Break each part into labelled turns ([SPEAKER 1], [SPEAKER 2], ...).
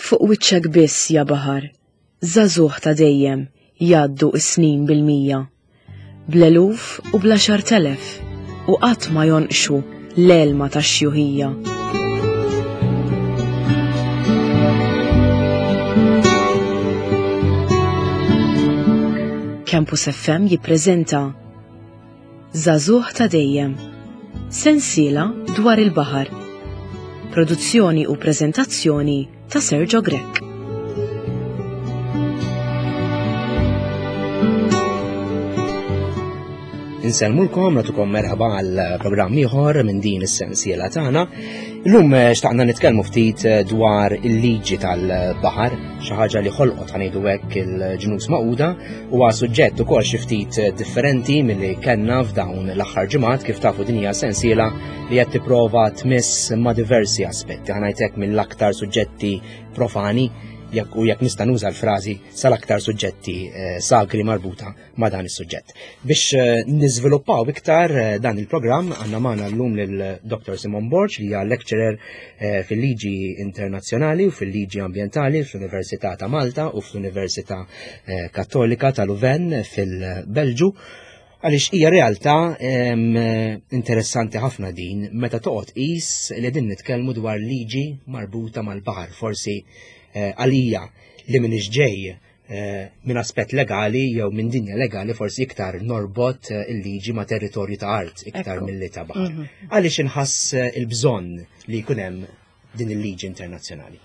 [SPEAKER 1] Fuq wiċċek biss ja baħar, żagħżugħ ta' dejjem jgħaddu s-snin bil-mija. Bl-eluf u bl-għaxart'elef u qatt ma jonqxu l-għelma tax-xjuħija. Campus FM jippreżenta Żagħżugħ ta' dejjem. Sensiela dwar il-baħar. Produzzjoni u preżentazzjoni ta' Sergio Grech.
[SPEAKER 2] Insellmulkom, natukom merħba għal programm ieħor minn din is-sensiela tagħna. Illum eh, xtaqna nitkellmu ftit eh, dwar il-liġi tal-baħar, xi ħaġa li ħolqot ħanejdu hekk il-ġnus maquda Huwa suġġett ukoll xi ftit differenti milli kellna f'dawn l-aħħar ġimgħat kif tafu din hija sensiela li qed tipprova tmiss ma' diversi aspetti. Ħa ngħid mill-aktar suġġetti profani jekk u jekk nista' nuża l-frażi sal-aktar suġġetti eh, sagri marbuta ma' dan is-suġġett. Biex eh, niżviluppaw iktar eh, dan il-programm għandna magħna llum lil Dr. Simon Borg li hija lecturer Eh, fil-liġi internazzjonali u fil-liġi ambjentali fl-Università ta' Malta u fl-Università eh, Kattolika ta' Louvain fil-Belġu għaliex hija realtà interessanti ħafna din meta toqgħod qis li din nitkellmu dwar liġi marbuta mal-baħar forsi eh, għalija li minix ġej Eh, minn aspett legali jew minn dinja legali forsi iktar norbot eh, il-liġi ma' territorju ta' art iktar milli ta' baħar. Mhm. Għaliex inħass eh, il-bżonn li jkun hemm din il-liġi internazzjonali?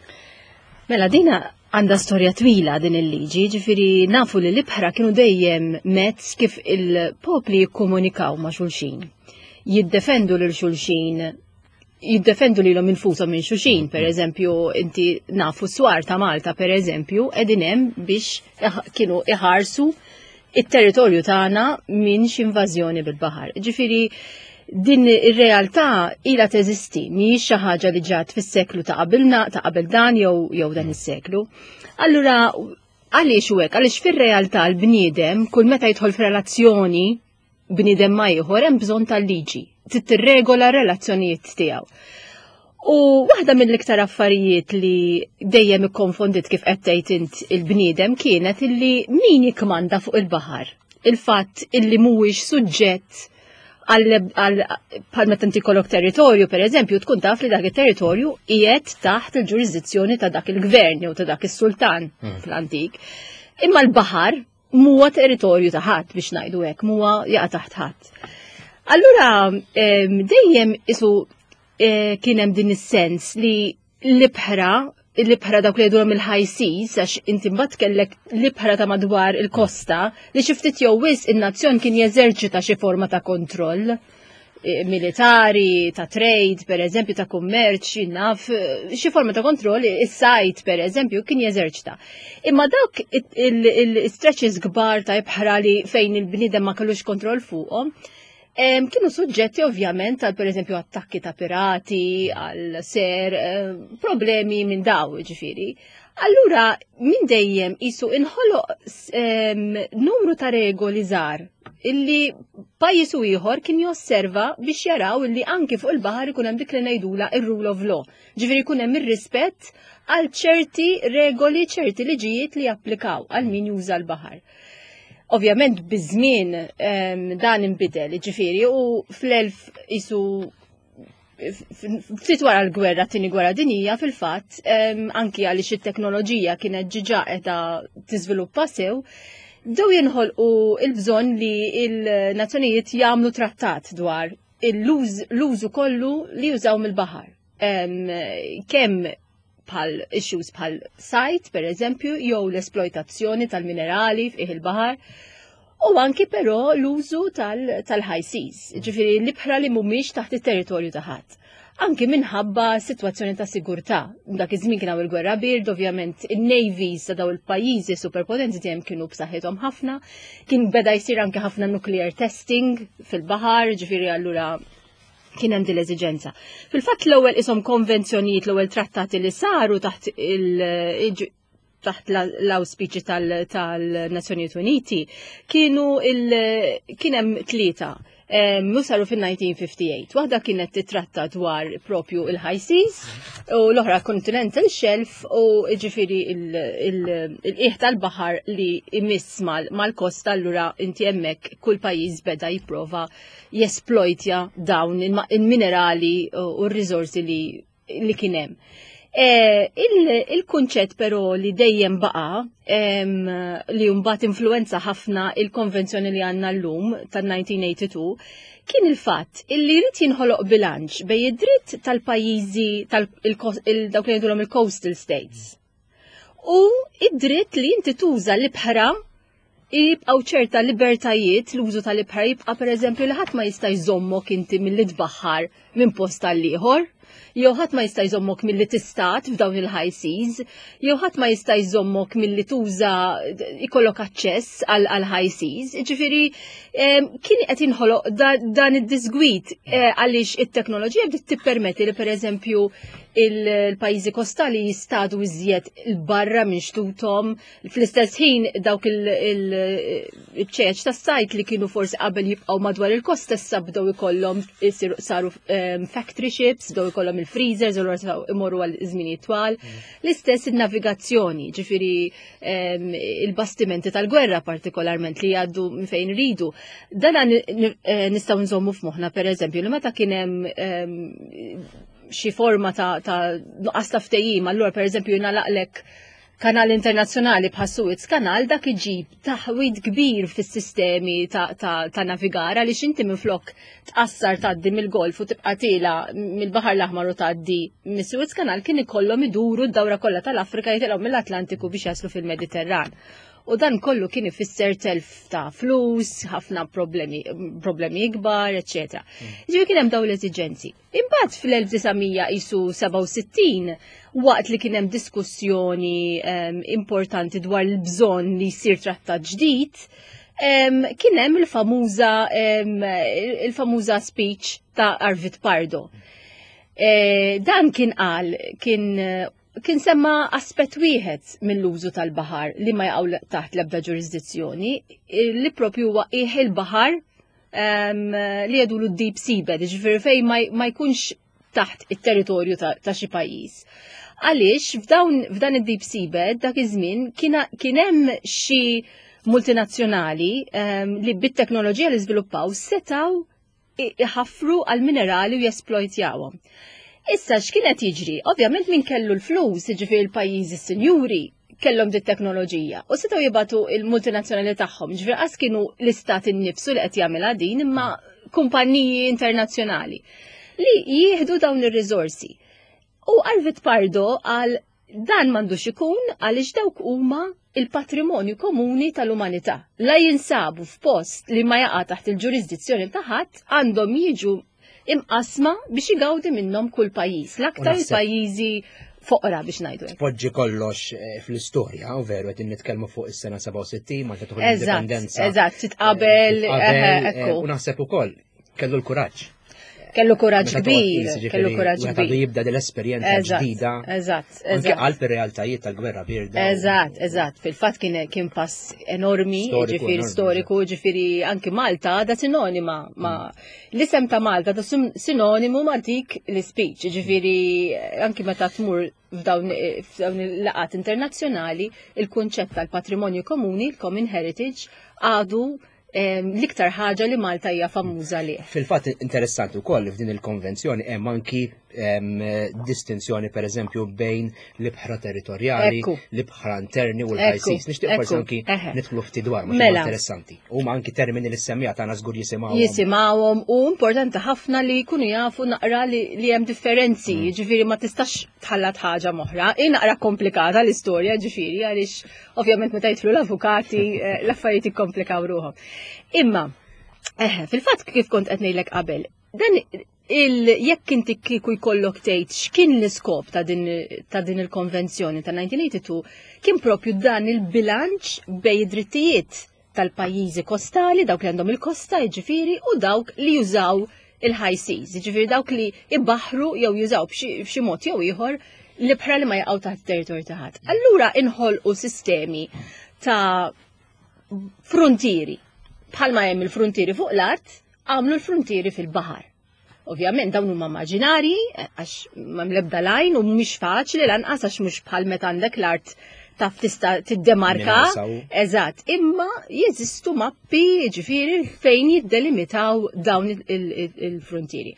[SPEAKER 3] Mela dina għandha storja twila din il-liġi, ġifiri nafu li l-ibħra kienu dejjem mezz kif il-popli jikkomunikaw ma' xulxin. Jiddefendu lil xulxin jiddefendu lilhom infushom minn xulxin, per eżempju, inti nafu swar ta' Malta, per eżempju, qegħdin hemm biex kienu iħarsu it-territorju tagħna minn xi invażjoni bil-baħar. Ġifieri din ir-realtà ilha teżisti, mhijiex xi ħaġa li ġat fis-seklu ta' qabilna, ta' qabel dan jew jew dan is-seklu. Allura għaliex u hekk? Għaliex fir-realtà l-bniedem kull meta jidħol f'relazzjoni bniedem ma ieħor hemm bżonn tal-liġi, trid tirregola r-relazzjonijiet tiegħu. U waħda mill-iktar affarijiet li dejjem ikkonfondit kif qed tgħid int il-bniedem kienet illi min jikkmanda fuq il-baħar. Il-fatt illi mhuwiex suġġett għal bħal meta inti kollok territorju, per eżempju, tkun taf li dak it-territorju qiegħed taħt il-ġurisdizzjoni ta' dak il-gvern jew ta' dak is-sultan hmm. fl-antik. Imma l-baħar muwa territorju ta' ħadd biex ngħidu hekk, muwa jaqa' taħt ħadd. Allura dejjem isu e, kien hemm din is-sens li l-ibħra l-ibħra dawk li jgħidulhom il-high seas, għax inti mbagħad kellek l-ibħra ta' madwar il-kosta li xi ftit jew wisq in-nazzjon kien jeżerċita xi forma ta' kontroll. Eh, militari, ta' trade, per eżempju, ta' kummerċ, naf, eh, xi forma ta' kontroll, is-sajt, per eżempju, kien jeżerċita. Imma dawk il-stretches kbar ta' ibħra li fejn il-bniedem ma kellux kontroll fuqhom, kienu suġġetti ovvjament għal per eżempju attakki ta' pirati, għal ser, eh, problemi minn daw, ġifiri. Allura, minn dejjem isu inħoloq numru ta' regoli żgħar illi pajjiż u ieħor kien josserva biex jaraw illi anki fuq il-baħar ikun hemm dik li ngħidula ir-rule of law. Ġifieri jkun hemm ir-rispett għal ċerti regoli, ċerti liġijiet li japplikaw għal min juża l-baħar. Ovvjament biż-żmien dan inbidel, ġifieri u fl-elf isu ftit wara l-gwerra, tini gwerra dinija, fil-fatt, anki għaliex it-teknoloġija kienet ġiġa qiegħda tiżviluppa sew, bdew jinħolqu il-bżonn li il-nazzjonijiet jagħmlu trattat dwar l-użu kollu li jużaw mill-baħar. Kemm bħal issues bħal sajt, per eżempju, jew l-esploitazzjoni tal-minerali fih il-baħar, u anki però l-użu tal-high seas, ġifiri l-ibħra li mhumiex taħt it-territorju ta' ħadd. Anki minħabba situazzjoni ta' sigurtà. Dak iż-żmien kien hawn il-gwerra bird, ovvjament in-navies ta' daw il-pajjiżi superpotenzi dejjem kienu b'saħħithom ħafna. Kien beda jsir anke ħafna nuclear testing fil-baħar, ġifieri allura kien hemm din l-eżiġenza. Fil-fatt l-ewwel ishom konvenzjonijiet, l-ewwel trattati li saru taħt il taħt l-auspiċi tal-Nazzjonijiet Uniti kienu kien hemm tlieta. U saru fil-1958. Waħda kienet titratta dwar propju il-high seas u l-oħra continental shelf u ġifiri il-qiegħ tal-baħar li imiss mal-kosta allura inti hemmhekk kull pajjiż beda jipprova jesplojtja dawn il-minerali u r-riżorsi li kien hemm. E, il-kunċett però li dejjem baqa li mbagħad influenza ħafna il-konvenzjoni li għandna llum tan-1982 kien il-fatt illi jrid jinħoloq bilanċ bej id-dritt tal-pajjiżi tal-dawk li jgħidulhom il-coastal states u id-dritt li inti tuża l-ibħra jibqgħu ċerta libertajiet l-użu tal-ibħra jibqa' pereżempju li ħadd ma jista' jżommok inti milli tbaħħar minn post għal ieħor, jew ħadd ma jista' jżommok milli tistat f'dawn il-high seas, jew ħadd ma jista' jżommok milli tuża ikollok aċċess għal high seas. Ġifieri kien qed jinħoloq dan id-disgwid eh, għaliex it-teknoloġija bdiet tippermetti li pereżempju il-pajjiżi kostali jistadu iżjed il-barra minn xtutom Fl-istess ħin dawk il-ċeċ tas-sajt li kienu forsi qabel jibqgħu madwar il-kosta issa bdew ikollhom saru ehm, factory ships, bdew ikollhom il-freezers u l imorru għal żminijiet twal. Mm. L-istess in-navigazzjoni, ġifieri ehm, il-bastimenti tal-gwerra partikolarment li jgħaddu minn fejn ridu. Dan eh, nistgħu nżommu f'moħħna pereżempju li meta kien hemm ehm, xi forma ta' nuqqas ta' ftehim, allura pereżempju jingħalaqlek kanal internazzjonali bħas Suez Kanal dak iġib taħwid kbir fis-sistemi ta', ta, ta navigar għaliex inti minflok tqassar tgħaddi mill-Golf u tibqa' tiela mill-Baħar l-Aħmar u tgħaddi mis-Suez Kanal kien ikollhom iduru d-dawra kollha tal-Afrika jitilgħu mill-Atlantiku biex jaslu fil-Mediterran. U dan kollu kien ifisser telf ta' flus, ħafna problemi, problemi ikbar, eċetera. Mm. Ġifieri kien hemm dawn l-eżiġenzi. Imbagħad fl-1967 waqt li kien hemm diskussjoni um, importanti dwar il-bżonn li jsir trattat ġdid, um, kien hemm il-famuża um, il-famuża speech ta' Arvid Pardo. E, dan kien qal kien kien semma aspett wieħed mill-użu tal-baħar li ma jaqgħu taħt l-ebda ġurisdizzjoni li propju huwa qiegħ il-baħar li jgħidulu d-deep seabed, ġifieri fejn ma jkunx taħt it-territorju ta' xi pajjiż. Għaliex f'dan id-deep seabed dak iż-żmien kien hemm xi multinazzjonali li bit-teknoloġija li żviluppaw setaw iħaffru għal minerali u jesplojtjawhom. Issa x'kien qed jiġri? Ovvjament min kellu l-flus, jiġifieri l-pajjiżi sinjuri, kellhom dit teknoloġija u setgħu jibatu il-multinazzjonali tagħhom, ġifieri qas kienu l-istat innifsu li qed jagħmilha din imma kumpanniji internazzjonali li jieħdu dawn ir-riżorsi. U Arvid Pardo għal dan m'għandux ikun għaliex dawk huma il-patrimonju komuni tal-umanità. La jinsabu f'post li ma jaqa' taħt il-ġurisdizzjoni ta' ħadd għandhom jiġu imqasma biex igawdi minnhom kull pajjiż, l-aktar il-pajjiżi foqra biex ngħidu.
[SPEAKER 2] Poġġi kollox eh, fl-istorja, u veru qed nitkellmu fuq is-sena 67 Malta tieħu l-indipendenza.
[SPEAKER 3] Eżatt, titqabel,
[SPEAKER 2] eh, eh, u naħseb ukoll kellu l-kuraġġ.
[SPEAKER 3] Kellu kuraġġ kbir, kellu kuraġġ kbir.
[SPEAKER 2] Jibda dell-esperjenza ġdida.
[SPEAKER 3] Eżatt, eżatt. Anke
[SPEAKER 2] qalb ir-realtajiet tal-gwerra birda.
[SPEAKER 3] Eżatt, eżatt. Fil-fatt kien kien pass enormi, ġifieri storiku, ġifieri anki Malta da sinonima ma' mm. L-isem ta' Malta ta' sinonimu ma' dik l-speech, ġifiri anki meta tmur f'dawn il-laqat internazzjonali, il-kunċett tal-patrimonju komuni, il-common heritage, għadu l-iktar ħaġa li Malta hija famuża li.
[SPEAKER 2] Fil-fatt interessanti wkoll f'din il-konvenzjoni hemm anki distinzjoni per eżempju bejn l-ibħra territorjali, l-ibħra interni u l-high seas. Nixtieq forsi anki nidħlu ftit dwar ma mela. interessanti. Huma anki termini li semmija tagħna żgur jisimgħuhom.
[SPEAKER 3] Jisimgħuhom u importanti ħafna li jkunu jafu naqra li hemm differenzi, mm. ġifieri ma tistax tħallat ħaġa moħra. Hi naqra komplikata l-istorja ġifieri għaliex ovvjament meta jidħlu l-avukati eh, l-affarijiet ikkomplikaw ruħhom. Imma, eħe, fil-fatt kif kont qed ngħidlek qabel, dan il jekk inti kieku jkollok tgħid x'kien l-iskop ta' din ta' din il-konvenzjoni ta' 1982 kien propju dan il-bilanċ bej id-drittijiet tal-pajjiżi kostali, dawk li għandhom il-kosta, jiġifieri, u dawk li jużaw il-high seas, jiġifieri dawk li ibaħru jew jużaw b'xi mod jew ieħor l-ibħra li ma jaqgħu taħt territorju ta' ħadd. Allura inħolqu sistemi ta' fruntieri. Bħalma hemm il-fruntieri fuq l-art, għamlu l-frontieri fil-baħar. Ovvjament dawn huma immaġinarji għax m'hemm l-ebda lajn u mhix faċli lanqas għax mhux bħal meta għandek l-art taf tista' tiddemarka. Eżatt, imma jeżistu mappi ġifieri fejn jiddelimitaw dawn il-frontieri.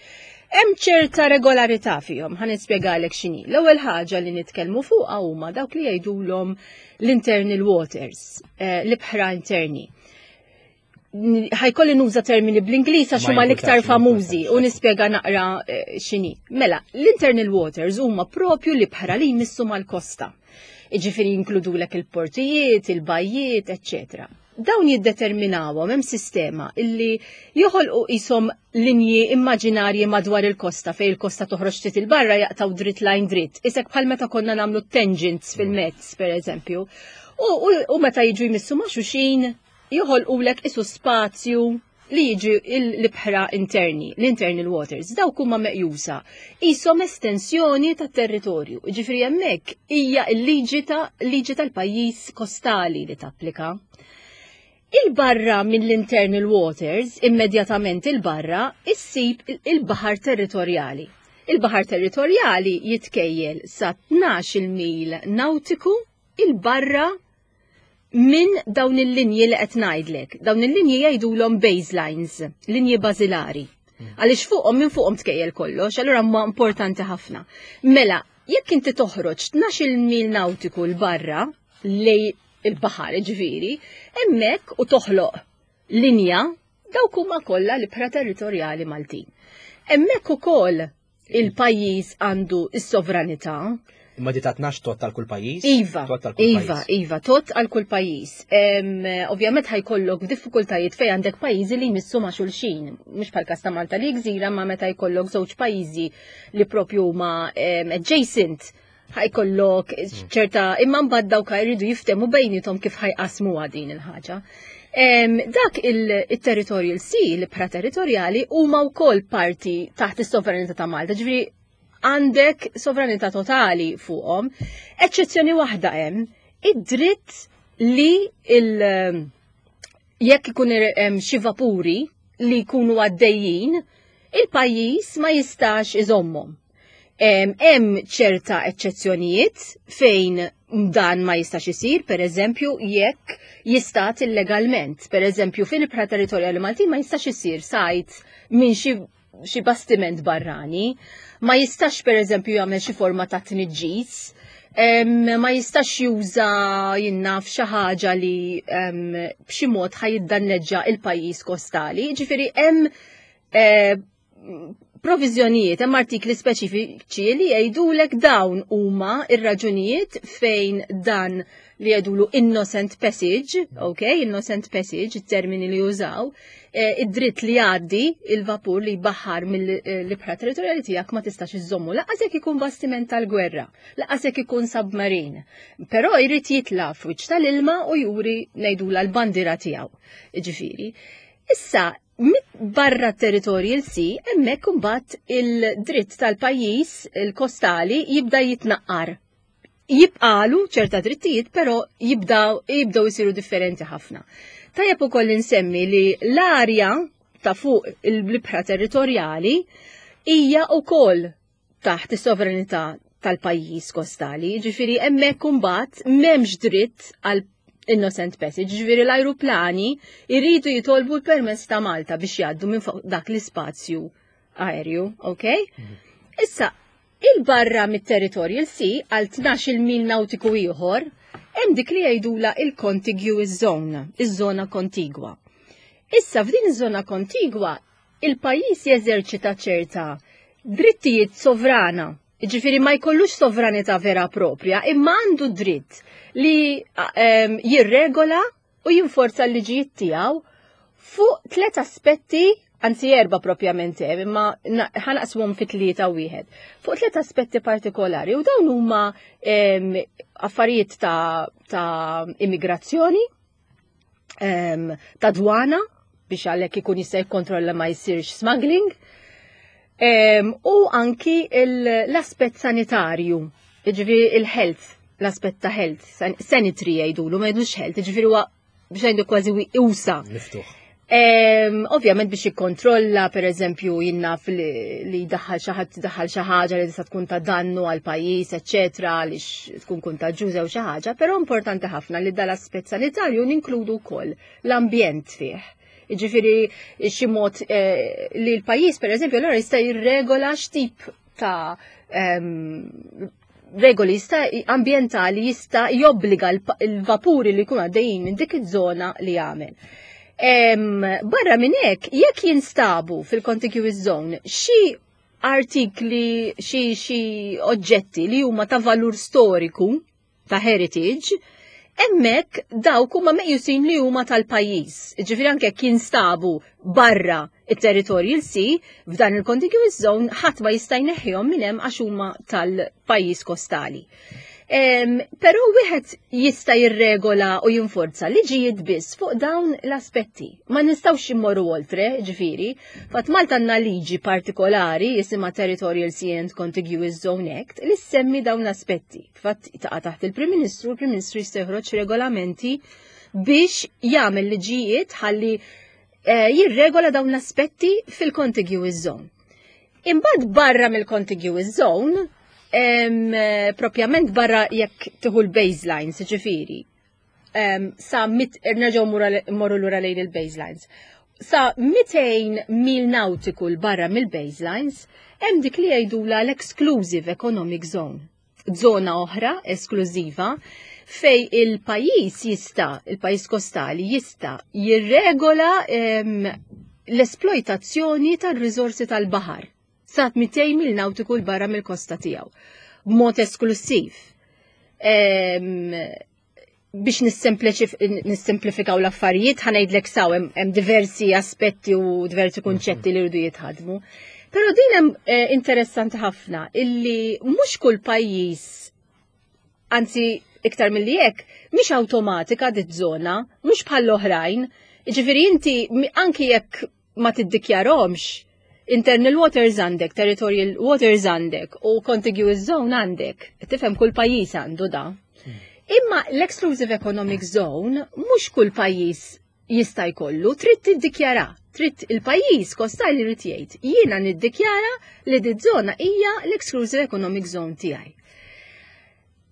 [SPEAKER 3] Hemm ċerta regolarità fihom, ħa nispjegalek x'inhi. L-ewwel ħaġa li nitkellmu fuqha huma dawk li jgħidulhom l-internal waters, eh, l-ibħra interni. Ħajkolli nuża termini bl-Ingliż għax huma l-iktar famużi u nispjega naqra eh, x'inhi. Mela, l-internal waters huma propju l-ibħra li jmissu mal-kosta. Iġifieri jinkludulek il-portijiet, il-bajjiet, eċċetera. Dawn jiddeterminawhom hemm sistema illi joħolqu qishom linji immaġinarji madwar il-kosta fejn il-kosta toħroġ ftit il-barra jaqtaw dritt lajn dritt. Isek bħal meta konna nagħmlu tangents fil-mezz, per eżempju. U, u, u meta jiġu jmissu ma' xuxin joħolqulek isu spazju li jiġi l-ibħra interni, l-internal waters, dawk huma meqjusa qishom estensjoni tat-territorju. Ġifieri hemmhekk hija l-liġi ta' liġi tal-pajjiż kostali li tapplika. Il-barra mill-internal waters, immedjatament il-barra, issib il-baħar territorjali. Il-baħar territorjali jitkejjel sa 12 mil nautiku il-barra minn dawn il-linji li qed ngħidlek. Dawn il-linji jgħidulhom baselines, linji bażilari. Għaliex fuqhom minn fuqhom tkejjel kollox, allura huma importanti ħafna. Mela, jekk inti toħroġ 12 mil nautiku l barra lej il-baħar ġifieri, hemmhekk u toħloq linja dawk huma kollha l-ibħra territorjali Maltin. Hemmhekk ukoll il-pajjiż għandu s-sovranità.
[SPEAKER 2] Imma di ta' 12 tot għal kull pajjiż?
[SPEAKER 3] Iva, iva, iva, tot għal kull pajjiż. Ovvjament ħajkollok diffikultajiet fejn għandek pajjiżi li jmissu ma' xulxin. Mhux bħal każ ta' Malta li gżira ma' meta jkollok żewġ pajjiżi li propju huma adjacent ħajkollok ċerta imma mbagħad dawk jridu jiftemu bejnietom kif ħajqasmuha din il-ħaġa. Dak il-territorial sea, l-ibħra territorjali, huma wkoll parti taħt is-sovranità ta' Malta, ġifieri għandek sovranità totali fuqhom. Eċċezzjoni waħda hemm, id-dritt li il- jekk ikun hemm xi vapuri li jkunu għaddejjin, il-pajjiż ma jistax iżommhom. Hemm ċerta eċċezzjonijiet fejn dan ma jistax isir, per eżempju, jekk jistat illegalment. Per eżempju, fil-ibħra territorjali Maltin ma jistax isir sajt minn xi xi bastiment barrani, ma jistax per eżempju jagħmel xi forma ta' tniġġis, ma jistax juża jinnaf xi ħaġa li b'xi mod ħajiddanneġġa il-pajjiż kostali. Ġifieri hemm eh, proviżjonijiet, hemm artikli speċifiċi li jgħidulek dawn huma ir-raġunijiet fejn dan li jgħidulu innocent passage, ok, innocent passage, it-termini li jużaw, eh, id-dritt li jgħaddi il-vapur li jbaħħar mill-ibħra territorjali tiegħek ma tistax iżommu. Laqas jekk ikun bastiment tal-gwerra, laqas jekk ikun submarin. Però jrid jitla' f'wiċċ tal-ilma u juri ngħidula l-bandira tiegħu. Ġifieri. Issa, barra territorjal sea, hemmhekk imbagħad il-dritt tal-pajjiż il-kostali jibda jitnaqqar. Jibqalu ċerta drittijiet, però jibdaw jibdew isiru differenti ħafna. Tajjeb ukoll insemmi li l-arja ta' fuq il-ibħra territorjali hija wkoll taħt is-sovranità tal-pajjiż kostali, ġifieri hemmhekk imbagħad m'hemmx dritt għal innocent passage, ġifieri l-ajruplani jridu jitolbu l-permess ta' Malta biex jgħaddu minn fuq dak l-ispazju aerju, ok? Mhm. Issa, il-barra mit-territorial sea għal 12 mil nautiku ieħor, hemm dik li jgħidula il-contiguous zone, iż-żona kontigwa. Issa f'din iż-żona kontigwa il-pajjiż jeżerċita ċerta drittijiet sovrana. Ġifieri ma jkollux sovranità vera propria, imma għandu dritt li ehm, jirregola u jinforza l-liġijiet tiegħu fuq tliet aspetti, anzi erba propjament hemm, imma ħanaqshom fi tlieta wieħed. Fuq tliet aspetti partikolari u dawn huma ehm, affarijiet ta', ta immigrazzjoni, ehm, ta' dwana biex għalhekk ikun jista' jikkontrolla ma jsirx smuggling. Ehm, u anki l-aspett sanitarju, jiġifieri il-health, l-aspett ta' health, sanitary jgħidulu, ma jgħidux health, jiġifieri huwa biex ngħidu kważi usa.
[SPEAKER 2] Miftuħ.
[SPEAKER 3] Ovvjament biex jikkontrolla, per eżempju, jinnaf li daħħal xi ħadd daħħal xi ħaġa li tista' tkun ta' dannu għal pajjiż, eċċetera, għaliex tkun kuntaġġuża u xi ħaġa, però importanti ħafna li dal-aspett sanitarju ninkludu wkoll l-ambjent fih. Jiġifieri xi mod eh, li l-pajjiż pereżempju allura jista' jirregola x'tip ta' regoli jista' ambjentali jista' jobbliga l-vapuri li jkunu għaddejjin minn dik iż-żona li jagħmel. Barra minn hekk, jekk jinstabu fil-contiguous zone xi artikli, xi xi oġġetti li huma ta' valur storiku, ta' heritage, hemmhekk dawk huma meqjusin li huma tal-pajjiż. Ġifieri anke jekk jinstabu barra it-territorial sea, f'dan il-contiguous zone ħadd ma jista' jneħħihom minn hemm għax huma tal-pajjiż kostali. Però wieħed jista' jirregola u jinforza liġijiet biss fuq dawn l-aspetti. Ma nistgħux immorru oltre, ġifieri. Fatt Malta għandna liġi partikolari jisimha Territorial Sea and Contiguous Zone Act li semmi dawn l-aspetti. Fatt taqa' taħt il-Prim Ministru, il-Prim Ministru jista' joħroġ regolamenti biex jagħmel liġijiet ħalli eh, jirregola dawn l-aspetti fil-contiguous zone. Imbagħad barra mill-contiguous zone, eh, propjament barra jekk tieħu l-baselines, ġifieri, sa mit nerġgħu morru lura lejn il-baselines. Sa 200 mil nautiku l barra mill-baselines, hemm dik li jgħidula l-exclusive economic zone. Zona oħra esklużiva fej il-pajjiż jista' il-pajjiż kostali jista' jirregola l-esploitazzjoni tar-riżorsi tal-baħar sa 200 mil nautiku l barra mill-kosta tiegħu b'mod esklusiv. Biex nissemplifikaw l-affarijiet, ħanejdlek saw hemm diversi aspetti u diversi kunċetti li rridu jitħadmu. Però din hemm eh, interessanti ħafna illi mhux kull pajjiż anzi iktar milli hekk, mhix awtomatika dit żona, mhux bħall-oħrajn. Jiġifieri inti anki jekk ma tiddikjarhomx, internal waters għandek, territorial waters għandek u contiguous zone għandek. Tifhem kull pajjiż għandu da. Imma l-exclusive economic zone mhux kull pajjiż jista' jkollu, trid tiddikjara. Trid il-pajjiż kostali jrid jgħid, jiena niddikjara li di żona hija l-exclusive economic zone tiegħi.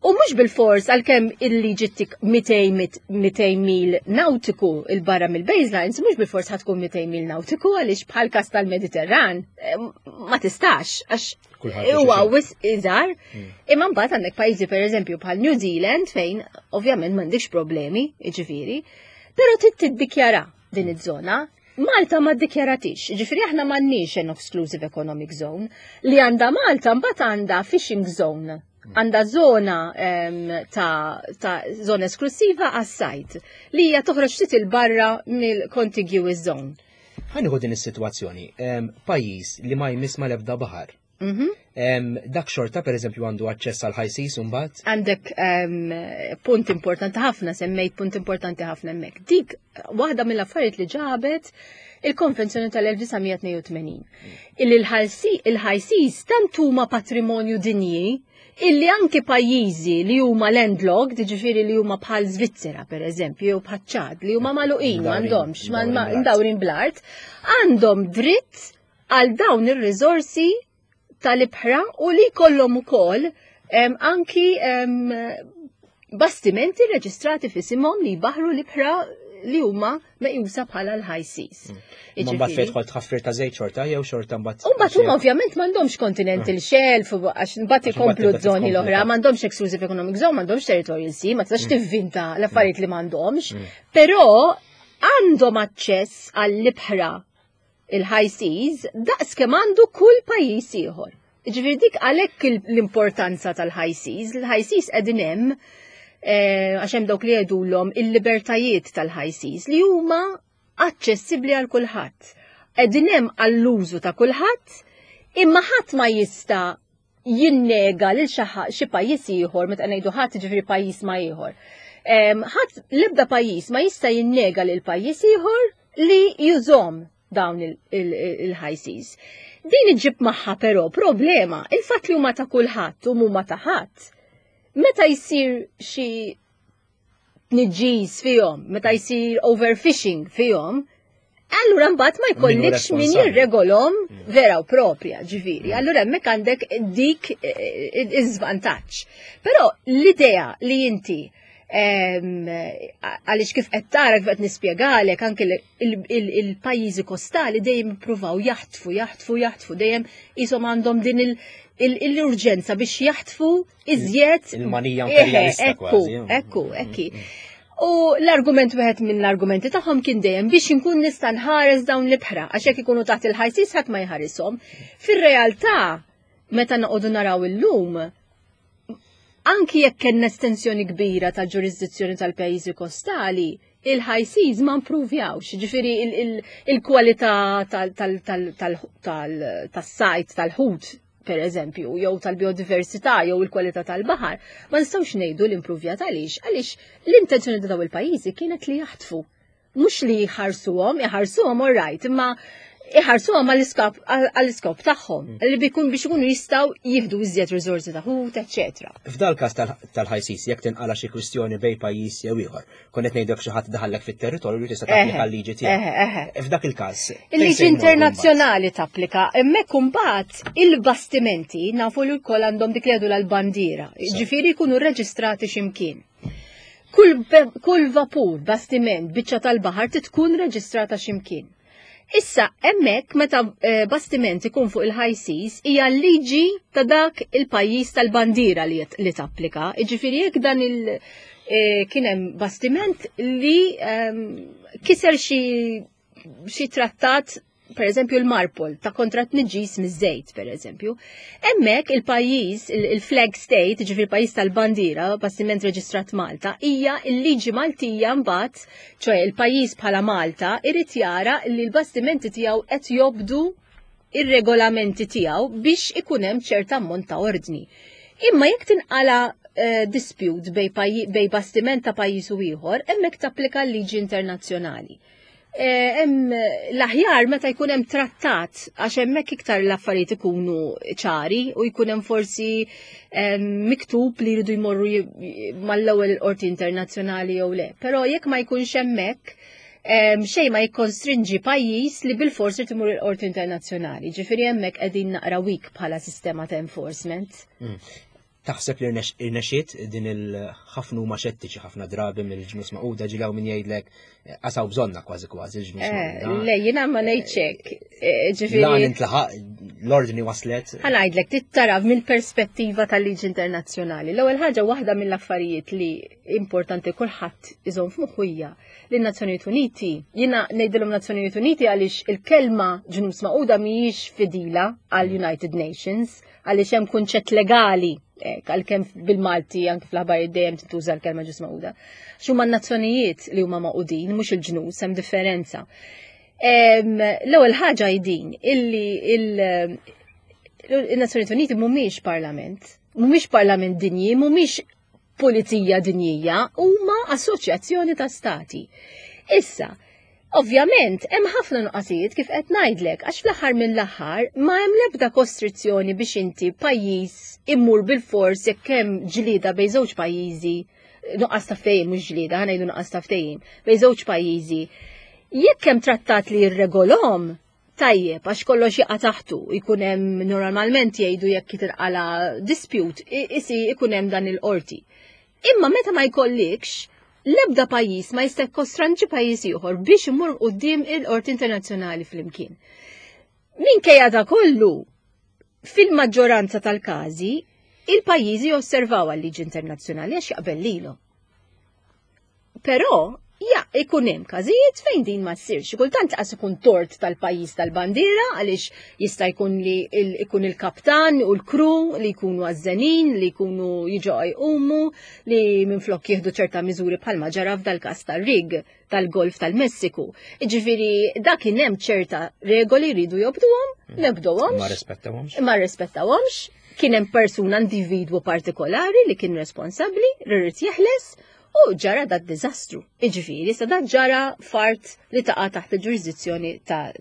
[SPEAKER 3] U mhux bilfors għalkemm il-liġi tik 200 mil nautiku il-barra mill-baselines, mhux bilfors ħatkun 200 mil nautiku għaliex bħal kas tal-Mediterran eh, ma tistax għax huwa wis iżgħar. Hmm. Imma mbagħad għandek pajjiżi pereżempju bħal New Zealand fejn ovvjament m'għandekx problemi, jiġifieri, però trid tiddikjara din iż-żona Malta ma ddikjaratix, ġifiri aħna m'għandniex an exclusive economic zone, li għandha Malta mbagħad għandha fishing zone għandha zona ta', ta zona esklusiva għas-sajt li hija toħroġ ftit il barra mill-contiguous zone.
[SPEAKER 2] Ħa din is-sitwazzjoni, pajjiż li ma jmiss ma l-ebda baħar. Mhm. Dak xorta per eżempju għandu aċċess għal high seas mbagħad?
[SPEAKER 3] Għandek punt importanti ħafna, semmejt punt importanti ħafna hemmhekk. Dik waħda mill-affarijiet li ġabet il-Konvenzjoni tal-1982. Illi l-high seas tant huma patrimonju dinji illi anki pajjiżi li huma landlocked, ġifieri li huma bħal Svizzera per eżempju, jew bħal Ċad, li huma magħluqin m'għandhomx, mdawrin bl-art, għandhom dritt għal dawn ir-riżorsi tal-ibħra u li jkollhom ukoll anki bastimenti reġistrati f'isimhom li jbaħru l-ibħra li huma meqjusa bħala l-high seas. Mm.
[SPEAKER 2] Ma mbagħad fejn tħol tħaffir ta' żejt xorta jew xorta
[SPEAKER 3] mbagħad. U mbagħad huma ovvjament m'għandhomx continental mm. shelf għax mbagħad ikomplu żoni l-oħra, m'għandhomx exclusive economic zone, m'għandhomx territorial sea, ma tistax mm. tivvinta l-affarijiet li m'għandhomx, però għandhom aċċess għall-ibħra il-high seas daqs kemm għandu kull pajjiż ieħor. Ġifieri dik għalhekk l-importanza tal-high seas, il-high seas qegħdin hemm eh, għax hemm dawk li jgħidulhom il-libertajiet tal-high seas li huma aċċessibbli għal kulħadd. Qegħdin hemm għall-użu ta' kulħadd, imma ħadd ma jista' jinnega lil xi pajjiż ieħor meta ngħidu ħadd ġifieri pajjiż ma ieħor. Ħadd l-ebda pajjiż ma jista' jinnega lil pajjiż ieħor li jużhom dawn il-high seas. Din iġib magħha però problema, il-fatt li huma ta' kulħadd u huma ta' ħadd. Meta jsir xi tniġġis fihom, meta jsir overfishing fihom, Allura mbagħad ma jkollikx min jirregolhom mm. vera u propja, ġifieri. Mm. Allura hemmhekk għandek dik eh, eh, iż-żvantaġġ. Però l-idea li inti għaliex kif qed tara kif qed nispjegalek anke il-pajjiżi kostali dejjem ippruvaw jaħtfu, jaħtfu, jaħtfu, dejjem qishom għandhom din l-urġenza biex jaħtfu iżjed.
[SPEAKER 2] Il-manija imperjalista
[SPEAKER 3] kważi. Ekku, ekku. Mm, mm. U l-argument wieħed minn l-argumenti tagħhom kien dejjem biex inkun nista' nħares dawn l-ibħra għax jekk ikunu taħt il-ħajsis ħadd ma jħarishom. Fir-realtà, meta noqogħdu naraw illum, anki jekk kellna estensjoni kbira tal-ġurisdizzjoni tal-pajjiżi kostali, il-high seas ma impruvjawx, ġifiri il-kwalità tas-sajt tal-ħut per eżempju, jew tal-biodiversità jew il-kwalità tal-baħar, ma nistgħux ngħidu li impruvjat għaliex, għaliex l-intenzjoni ta' daw il-pajjiżi kienet li jaħtfu. Mhux li jħarsuhom, jħarsuhom all right, imma iħarsuhom għall-iskop tagħhom, mm. li bikun biex ikunu jistgħu jieħdu iżjed riżorsi ta' ħut, eċetera.
[SPEAKER 2] F'dal każ tal-high seas jekk tinqala xi kwistjoni bej pajjiż jew ieħor, Kon qed ngħidlek xi ħadd daħallek fit-territorju li tista' tapplika l-liġi tiegħek. F'dak il-każ.
[SPEAKER 3] Il-liġi internazzjonali tapplika, hemmhekk imbagħad il-bastimenti nafu li wkoll għandhom dik li jgħidu l-bandiera, ġifieri jkunu rreġistrati x'imkien. Kull, kull vapur, bastiment, biċċa tal-baħar tkun reġistrata x'imkien. Issa, hemmhekk meta eh, bastiment ikun fuq il-high seas, hija l-liġi ta' dak il-pajjiż tal-bandiera li, li tapplika. Jiġifieri jekk dan il- eh, kien hemm bastiment li ehm, kiser xi xi trattat per eżempju l-Marpol ta' kontra tniġġis miż-żejt per eżempju. Hemmhekk il-pajjiż, il-flag state, ġifieri il-pajjiż tal-bandiera, bastiment reġistrat Malta, hija l-liġi Maltija mbagħad ċoe il-pajjiż bħala Malta irid jara li l-bastimenti tiegħu qed jobdu ir-regolamenti tiegħu biex ikun hemm ċerta ammont ta' ordni. Imma jekk tinqala eh, dispute bej, bej bastiment ta' pajjiż u ieħor, hemmhekk tapplika l-liġi internazzjonali. Eh, hemm l-aħjar meta jkun hemm trattat għax hemmhekk iktar l-affarijiet ikunu ċari u jkun hemm forsi miktub li jridu jmorru mal-ewwel qorti internazzjonali jew le. Però jekk ma jkunx hemmhekk xejn ma jikkonstrinġi pajjiż li bil-forsi timur il-qorti internazzjonali. Ġifieri hemmhekk qegħdin naqra weak bħala sistema ta' enforcement.
[SPEAKER 2] Taħseb li rnexxiet din il-ħafna huma xettiċi ħafna drabi mill-ġnus maquda ġilaw min jgħidlek eh, qasaw bżonna kważi kważi l-ġnus eh,
[SPEAKER 3] maquda. Le, jiena ma ngħidx hekk.
[SPEAKER 2] Eh, ġifieri. Lan intlaħaq l-ordni waslet.
[SPEAKER 3] Ħa ngħidlek tittara mill-perspettiva tal-liġi internazzjonali. L-ewwel ħaġa waħda mill-affarijiet li importanti kulħadd iżomm f'moħħu hija li n-Nazzjonijiet Uniti, jiena ngħidilhom Nazzjonijiet Uniti għaliex il-kelma ġnus maquda mhijiex fidila għal United Nations għaliex hemm kunċett legali għalkemm bil-Malti anke fl-aħbarijiet dejjem tintuża l-kelma ġus magħquda. X'huma n-nazzjonijiet li huma magħqudin, mhux il-ġnus, hemm differenza. L-ewwel ħaġa hi din illi il-Nazzjonijiet Uniti mhumiex parlament, mhumiex parlament dinji, mhumiex pulizija dinjija, huma assoċjazzjoni ta' stati. Issa, ovvjament, hemm ħafna nuqqasijiet kif qed ngħidlek, għax fl-aħħar mill-aħħar ma hemm l-ebda kostrizzjoni biex inti pajjiż immur bil-fors jekk hemm ġlieda bejn żewġ pajjiżi, nuqqas ta' ftehim mhux ġlieda, ħa ngħidu nuqqas ta' ftehim, bejn żewġ pajjiżi. Jekk hemm trattat li jirregolhom, tajjeb għax kollox jaqa' taħtu, jkun hemm normalment jgħidu jekk tinqala dispute, isi ikun hemm dan il-qorti. Imma meta ma jkollikx, l-ebda pajjiż ma jista' jkostranġi pajjiż ieħor biex imur quddiem il-qorti internazzjonali flimkien. Minkejja da kollu, fil-maġġoranza tal-każi, il-pajjiżi josservaw għal-liġi internazzjonali għax jaqbel lilhom. Però ja, ikun hemm każijiet fejn din ma ssirx. Kultant qas ikun tort tal-pajjiż tal-bandiera għaliex jista' jkun li ikun il-kaptan u l-kru li jkunu għażżenin, li jkunu jiġu jqumu, li minflok jieħdu ċerta miżuri bħalma ġara f'dal-każ tar-rig tal-Golf tal-Messiku. Jiġifieri dak kien hemm ċerta regoli jridu jobduhom, nebduhomx.
[SPEAKER 2] Ma rispettawhomx.
[SPEAKER 3] Ma rispettawhomx. Kien hemm persuna individwu partikolari li kien responsabbli, li rrid jeħles, U ġara dat diżastru. Iġifieri, sa dat ġara fart li taqa' taħt il-ġurisdizzjoni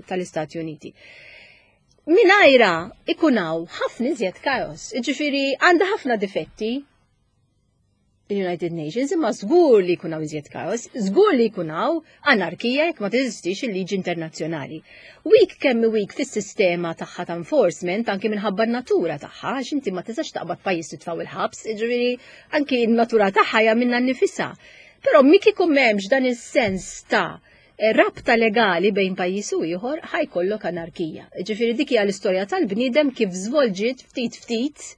[SPEAKER 3] tal-Istati Uniti. Minajra ikunaw ħafna iżjed kaos. Iġifieri għandha ħafna difetti. il-United Nations, imma żgur li jkun hawn iżjed kaos, żgur li jkun hawn anarkija jekk ma teżistix il-liġi internazzjonali. Weak kemm weak fis-sistema tagħha ta' enforcement anki minħabba n-natura tagħha, għax inti ma tistax taqbad pajjiż titfgħu il-ħabs, jiġifieri anki n-natura tagħha hija minnha nnifisha. Però mik ikun m'hemmx dan is-sens ta' rabta legali bejn pajjiż u ieħor ħajkollok anarkija. Ġifieri dik hija l-istorja tal-bniedem kif żvolġiet ftit ftit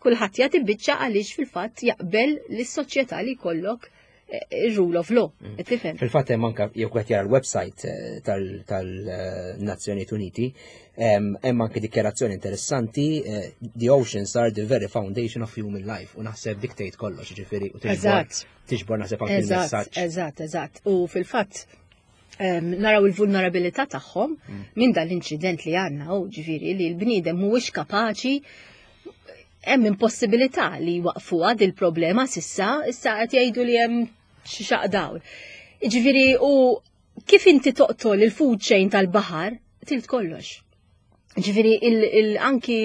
[SPEAKER 3] kulħadd jagħti biċċa għaliex fil-fatt jaqbel lis-soċjetà li jkollok eh, il-rule of law. Mm. Tifhem?
[SPEAKER 2] Fil-fatt hemm anke jew qed jara l-website eh, tal-Nazzjonijiet Uniti, hemm anke dikjarazzjoni interessanti eh, the oceans are the very foundation of human life u naħseb dik tgħid kollox, ġifieri u tiġbor naħseb anke il-messaġġ.
[SPEAKER 3] Eżatt, eżatt. U fil-fatt naraw il-vulnerabilità tagħhom mm. minn dan l-inċident li għandna u ġifieri li l-bniedem mhuwiex kapaċi hemm impossibilità li waqfuha dil problema sissa, issa qed jgħidu li hemm xi xaq dawl. Ġifieri u kif inti toqtol il-food chain tal-baħar, tilt kollox. Ġifieri anki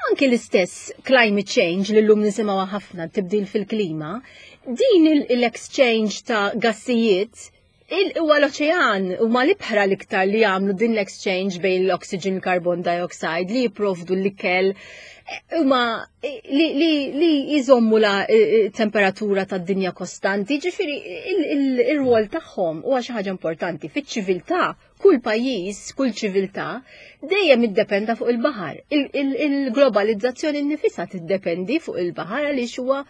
[SPEAKER 3] anki l-istess climate change li llum nisimgħu ħafna tibdil fil-klima, din l-exchange ta' gassijiet huwa l-oċean huma l-ibħra l-iktar li jagħmlu din l-exchange bejn l-oxygen u carbon dioxide li jipprovdu l-ikel huma li, li, li jżommu la temperatura tad-dinja kostanti, ġifieri il-rwol tagħhom huwa xi ħaġa importanti fiċ-ċiviltà kull pajjiż, kull ċiviltà dejjem iddependa fuq il-baħar. Il-globalizzazzjoni nnifisha tiddependi fuq il-baħar għaliex huwa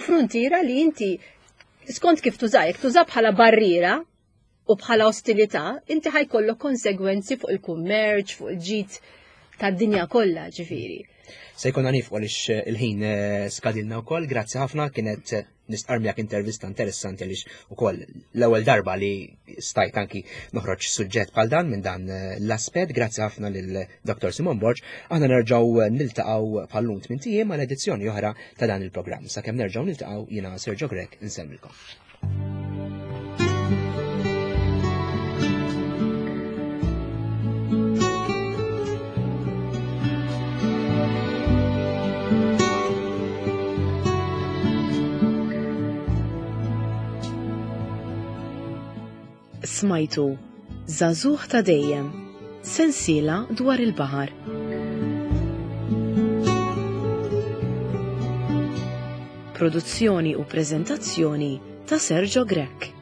[SPEAKER 3] fruntiera li inti skont kif tuża, jekk tuża bħala barriera u bħala ostilità, inti ħajkollok konsegwenzi fuq il-kummerċ, fuq il-ġid tad-dinja kollha, ġifieri.
[SPEAKER 2] Se jkollna nifqu għaliex eh, il-ħin eh, skadilna wkoll, grazzi ħafna kienet eh, nistqar miegħek intervista interessanti għaliex ukoll l-ewwel darba li stajt anki noħroġ suġġett bħal dan minn dan l-aspett. Grazzi ħafna lil Dr. Simon Borg. Aħna nerġgħu niltaqgħu bħal-lum tmien ijiem għal edizzjoni oħra ta' dan il-programm. Sakemm nerġgħu niltaqgħu jiena Sergio Grech insellmilkom.
[SPEAKER 1] Smajtu Żagħżugħ ta' Dejjem, sensiela dwar il-baħar. Produzzjoni u preżentazzjoni ta' Sergio Grech.